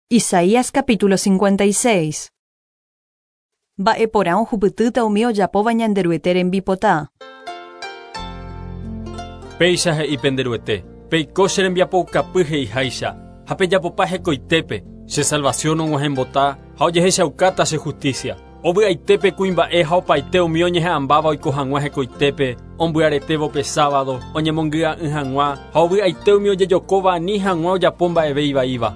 Isaías capítulo 56. Mba'e porã ohupytýta umi ojapóva Ñanderuete rembipota. Péicha he'i pende Ruete, Peiko che rembiapoukapy he'iháicha, ha pejapopa hekoitépe, che salvación og̃uahẽmbota ha ojehechaukáta che justicia. Ovy'aite pe kuimba'e ha opaite umi oñeha'ãmbáva oiko hag̃ua hekoitépe, ombyaretévo pe sábado, oñemongy'a'ỹ hag̃ua, ha ovy'aite umi ojejokóva ani hag̃ua ojapo mba'eve ivaíva.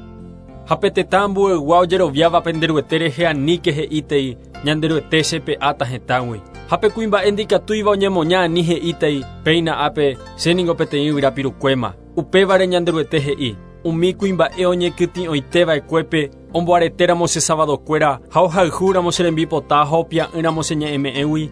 Ha pe tetã ambueygua ojeroviáva pende Ruete rehe aníke he'ítei, Ñanderuete chepe'áta hetãgui. Ha pe kuimba'e ndikatúiva oñemoña ani he'ítei, Péina ápe, che ningo peteĩ yvyra pirukuéma. Upévare Ñanderuete he'i, Umi kuimba'e oñekytĩ'oite va'ekuépe omboaretéramo che sabadokuéra ha ohayhúramo che rembipota ha opia'ỹramo che ñe'ẽme'ẽgui,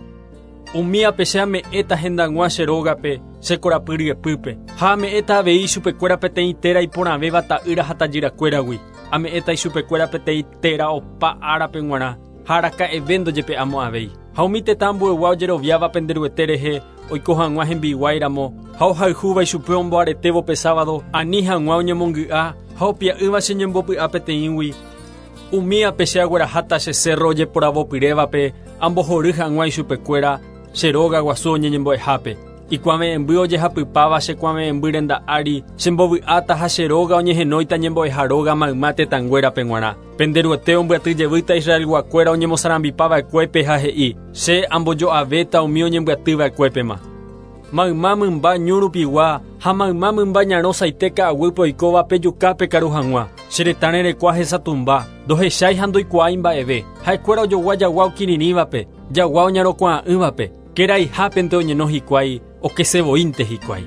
umíape che ame'ẽta hendag̃ua che rógape, che korapy ryepýpe, ha ame'ẽta avei ichupekuéra peteĩ téra iporãvéva ta'ýra ha tajyrakuéragui, ame'ẽta ichupekuéra peteĩ téra opa árape g̃uarã, ha araka'eve ndojepe'amo'ãvéi. Ha umi tetã ambuegua ojeroviáva pende Ruete rehe oiko hag̃ua hembiguái ramo, ha ohayhúva ichupe omboaretévo pe sábado, ani hag̃ua oñemongy'a ha opia'ỹva che ñembopy'a peteĩgui, umíape che agueraháta che cérro ojeporavopyrévape ambohory hag̃ua ichupekuéra che róga guasu oñeñembo'ehápe. Ikuave'ẽmby ojehapypáva che kuave'ẽmby renda ári, chembovy'áta ha che róga oñehenóita ñembo'eha róga mayma tetãnguérape g̃uarã. Pende Ruete ombyaty jevýta Israelguakuéra oñemosarambipa va'ekuépe ha he'i, Che ambojo'avéta umi oñembyaty va'ekuépema. Mayma mymba ñu rupigua ha mayma mymba ñarõ saite ka'aguýpe oikóva pejuka pekaru hag̃ua. Che retã rerekua hesatumba, ndohechái ha ndoikuaái mba'eve. Ha'ekuéra ojogua jagua okirirĩvape, jagua oñarõkuaa'ỹvape. Keraihápente oñeno hikuái, okese voínte hikuái.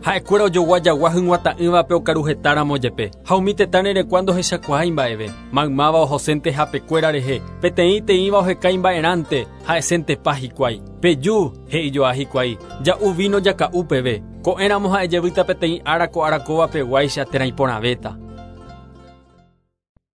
Ha'ekuéra ojogua jagua hyg̃uata'ỹvape okaru hetáramo jepe, ha umi tetã rerekua ndohechakuaái mba'eve. Maymáva ohosénte hapekuéra rehe, peteĩ teĩva oheka imba'erãnte, ha'eséntepa hikuái. Peju, he'ijoa hikuái, ja'u víno jaka'u peve, ko'ẽramo ha'e jevýta peteĩ ára ko ára kóva peguáicha térã iporãvéta.